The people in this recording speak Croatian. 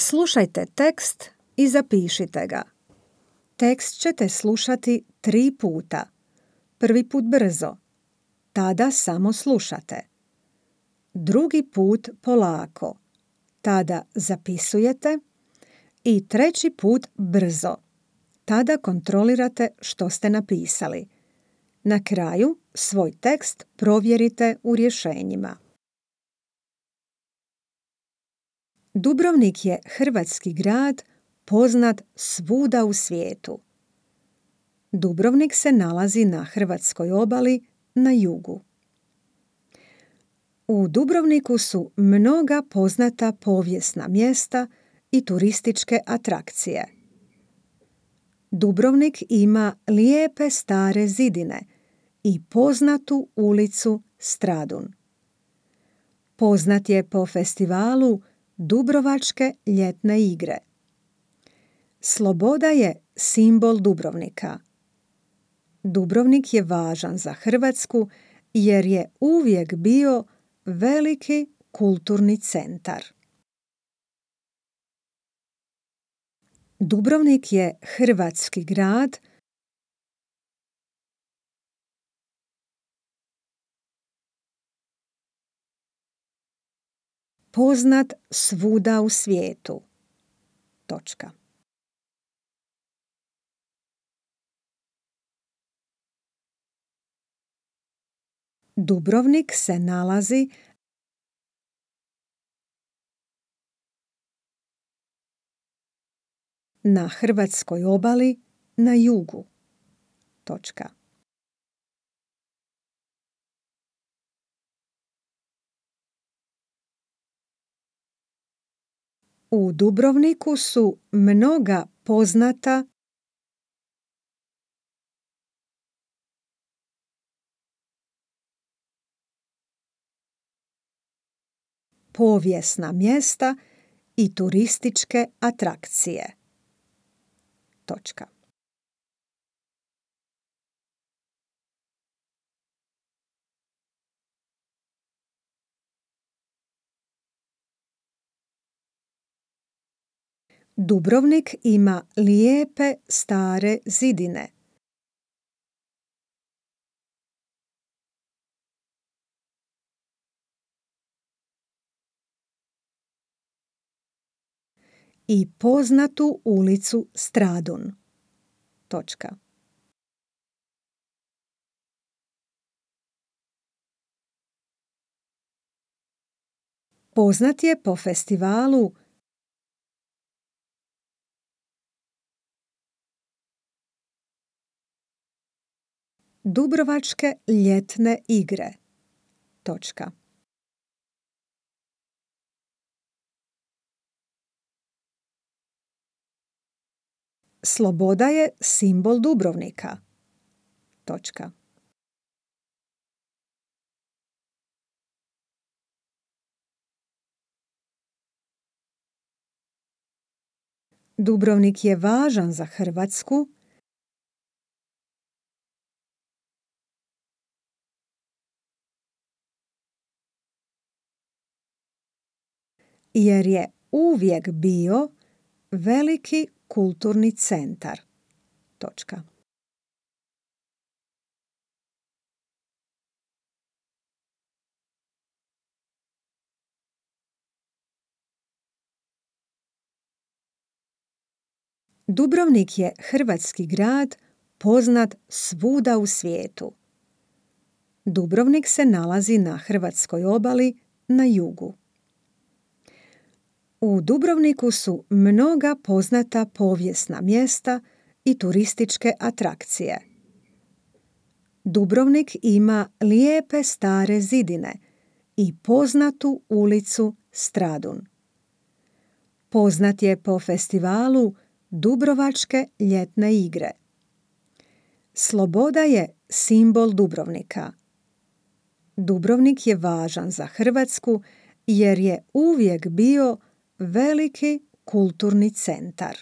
Slušajte tekst i zapišite ga. Tekst ćete slušati 3 puta. Prvi put brzo, tada samo slušate. Drugi put polako, tada zapisujete. I treći put brzo, tada kontrolirate što ste napisali. Na kraju svoj tekst provjerite u rješenjima. Dubrovnik je hrvatski grad poznat svuda u svijetu. Dubrovnik se nalazi na hrvatskoj obali na jugu. U Dubrovniku su mnoga poznata povijesna mjesta i turističke atrakcije. Dubrovnik ima lijepe stare zidine i poznatu ulicu Stradun. Poznat je po festivalu Dubrovačke ljetne igre. Sloboda je simbol Dubrovnika. Dubrovnik je važan za Hrvatsku jer je uvijek bio veliki kulturni centar. Dubrovnik je hrvatski grad poznat svuda u svijetu. Točka. Dubrovnik se nalazi na hrvatskoj obali na jugu. Točka. U Dubrovniku su mnoga poznata povijesna mjesta i turističke atrakcije. Točka. Dubrovnik ima lijepe stare zidine. I poznatu ulicu Stradun. Točka. Poznat je po festivalu Dubrovačke ljetne igre. Točka. Sloboda je simbol Dubrovnika. Točka. Dubrovnik je važan za Hrvatsku jer je uvijek bio veliki kulturni centar. Točka. Dubrovnik je hrvatski grad poznat svuda u svijetu. Dubrovnik se nalazi na hrvatskoj obali na jugu. U Dubrovniku su mnoga poznata povijesna mjesta i turističke atrakcije. Dubrovnik ima lijepe stare zidine i poznatu ulicu Stradun. Poznat je po festivalu Dubrovačke ljetne igre. Sloboda je simbol Dubrovnika. Dubrovnik je važan za Hrvatsku jer je uvijek bio veliki kulturni centar.